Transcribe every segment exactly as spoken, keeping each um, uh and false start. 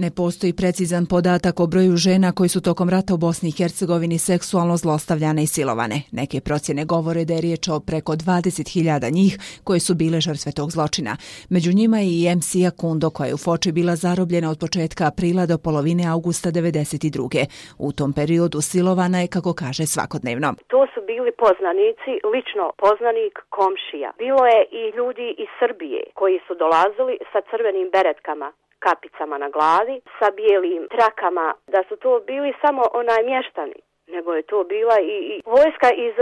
Ne postoji precizan podatak o broju žena koji su tokom rata u Bosni i Hercegovini seksualno zlostavljane i silovane. Neke procjene govore da je riječ o preko dvadeset hiljada njih koje su bile žrtve tog zločina. Među njima je i Emsija Kundo koja je u Foči bila zarobljena od početka aprila do polovine augusta devedeset druge. U tom periodu silovana je, kako kaže, svakodnevno. To su bili poznanici, lično poznanik, komšija. Bilo je i ljudi iz Srbije koji su dolazili sa crvenim beretkama, kapicama na glavi, sa bijelim trakama, da su to bili samo onaj mještani, nego je to bila i, i vojska iz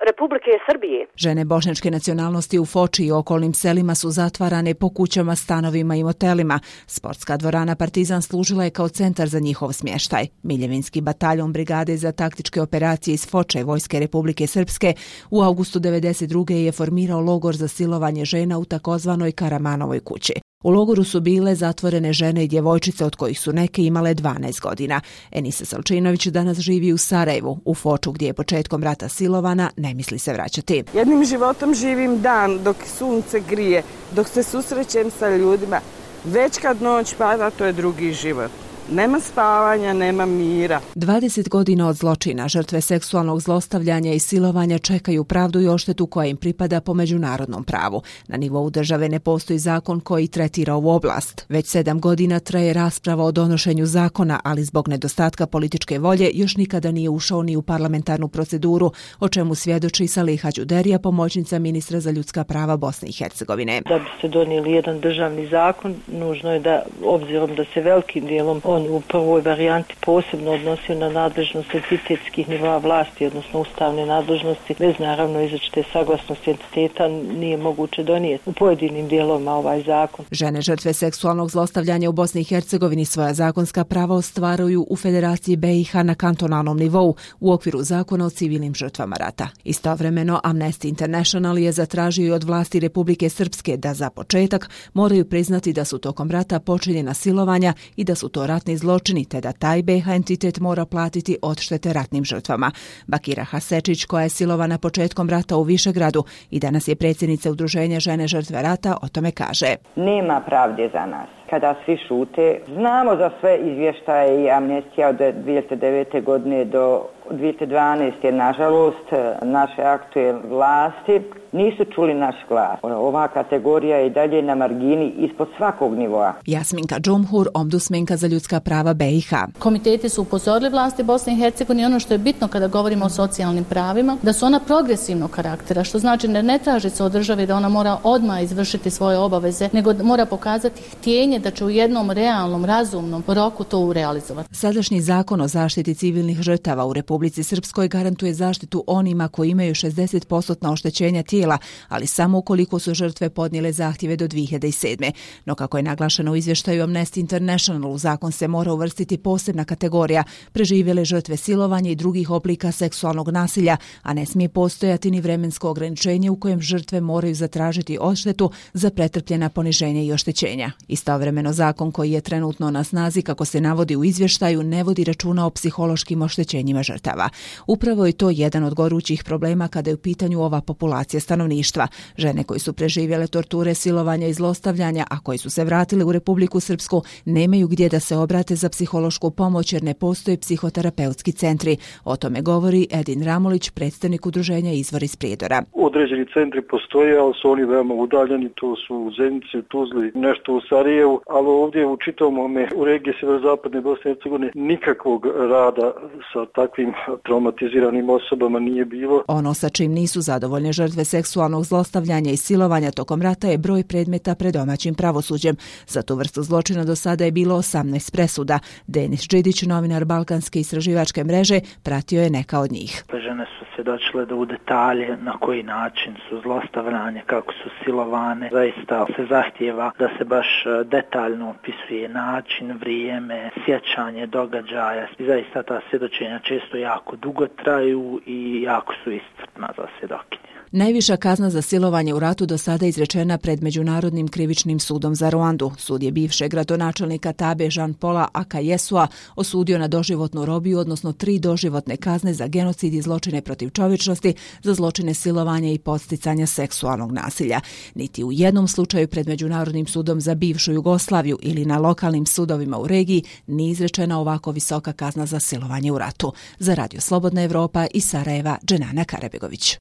Republike Srbije. Žene bošnjačke nacionalnosti u Foči i okolnim selima su zatvarane po kućama, stanovima i motelima. Sportska dvorana Partizan služila je kao centar za njihov smještaj. Miljevinski bataljon brigade za taktičke operacije iz Foče Vojske Republike Srpske u augustu devedeset druge je formirao logor za silovanje žena u takozvanoj Karamanovoj kući. U logoru su bile zatvorene žene i djevojčice od kojih su neke imale dvanaest godina. Enisa Salčinović danas živi u Sarajevu, u Foču gdje je početkom rata silovana, ne misli se vraćati. Jednim životom živim dan dok sunce grije, dok se susrećem sa ljudima. Već kad noć pada, to je drugi život. Nema spavanja, nema mira. dvadeset godina od zločina, žrtve seksualnog zlostavljanja i silovanja čekaju pravdu i odštetu koja im pripada po međunarodnom pravu. Na nivou države ne postoji zakon koji tretira ovu oblast. Već sedam godina traje rasprava o donošenju zakona, ali zbog nedostatka političke volje još nikada nije ušao ni u parlamentarnu proceduru, o čemu svjedoči Saliha Đuderija, pomoćnica ministra za ljudska prava Bosne i Hercegovine. Da bi se donijeli jedan državni zakon, nužno je da, obzirom da se velikim dijelom on u prvoj varijanti posebno odnosio na nadležnost entitetskih nivoa vlasti, odnosno ustavne nadležnosti, bez naravno izričite saglasnosti entiteta nije moguće donijeti u pojedinim dijelovima ovaj zakon. Žene žrtve seksualnog zlostavljanja u Bosni i Hercegovini svoja zakonska prava ostvaruju u Federaciji B i H na kantonalnom nivou u okviru zakona o civilnim žrtvama rata. Istovremeno Amnesty International je zatražio i od vlasti Republike Srpske da za početak moraju priznati da su tokom rata počinjena silovanja i da su to ratni zločini, te da taj B i H entitet mora platiti odštete ratnim žrtvama. Bakira Hasečić, koja je silovana početkom rata u Višegradu i danas je predsjednica Udruženja žene žrtve rata, o tome kaže. Nema pravde za nas. Kada svi šute, znamo za sve izvještaje i amnestija od dvije hiljade devete godine do dvije hiljade dvanaeste. Nažalost, naše aktuelne vlasti nisu čuli naš glas. Ova kategorija je i dalje na margini ispod svakog nivoa. Jasminka Džumhur, ombudsmenka za ljudska prava B i H. Komiteti su upozorili vlasti Bosne i Hercegovine, ono što je bitno kada govorimo o socijalnim pravima, da su ona progresivnog karaktera, što znači da ne traži se od države da ona mora odmah izvršiti svoje obaveze, nego mora pokazati htjenje da će u jednom realnom, razumnom roku to urealizovati. Sadašnji zakon o zaštiti civilnih žrtava u Republici Srpskoj garantuje zaštitu onima koji imaju šezdeset posto oštećenja tijela, ali samo ukoliko su žrtve podnijele zahtjeve do dvije hiljade sedme. No kako je naglašeno u izvještaju Amnesty International, u zakon se mora uvrstiti posebna kategorija preživjele žrtve silovanja i drugih oblika seksualnog nasilja, a ne smije postojati ni vremensko ograničenje u kojem žrtve moraju zatražiti odštetu za pretrpljena poniženja i oštećenja. Istovremeno zakon koji je trenutno na snazi, kako se navodi u izvještaju, ne vodi računa o psihološkim oštećenjima žrtava. Upravo je to jedan od gorućih problema kada je u pitanju ova populacija stanovništva. Žene koji su preživjele torture, silovanja i zlostavljanja, a koji su se vratili u Republiku Srpsku, nemaju gdje da se obrate za psihološku pomoć jer ne postoje psihoterapeutski centri. O tome govori Edin Ramulić, predstavnik udruženja Izvor iz Prijedora. Određeni centri postoje, ali su oni veoma udaljeni, to su u Zenici, u Tuzli, nešto u Sarajevu, ali ovdje u čitavom u regiji sjeverozapadne Bosne i Hercegovine nikakvog rada sa takvim traumatiziranim osobama nije bilo. Ono sa čim nisu zadovoljne žrtve seksualnog zlostavljanja i silovanja tokom rata je broj predmeta pred domaćim pravosuđem. Za tu vrstu zločina do sada je bilo osamnaest presuda. Denis Đidić, novinar Balkanske istraživačke mreže, pratio je neka od njih. Žene su svjedočile da u detalje na koji način su zlostavljane, kako su silovane. Zaista se zahtijeva da se baš detaljno opisuje način, vrijeme, sjećanje događaja. I zaista ta svjedočenja često jako dugo traju i jako su iscrpna za svjedokinje. Najviša kazna za silovanje u ratu do sada izrečena pred Međunarodnim krivičnim sudom za Ruandu. Sud je bivšeg gradonačelnika Tabe Jean-Paula Akajesua osudio na doživotnu robiju, odnosno tri doživotne kazne za genocid i zločine protiv čovječnosti, za zločine silovanja i podsticanja seksualnog nasilja. Niti u jednom slučaju pred Međunarodnim sudom za bivšu Jugoslaviju ili na lokalnim sudovima u regiji nije izrečena ovako visoka kazna za silovanje u ratu. Za Radio Slobodna Evropa iz Sarajeva, Dženana Karabegović.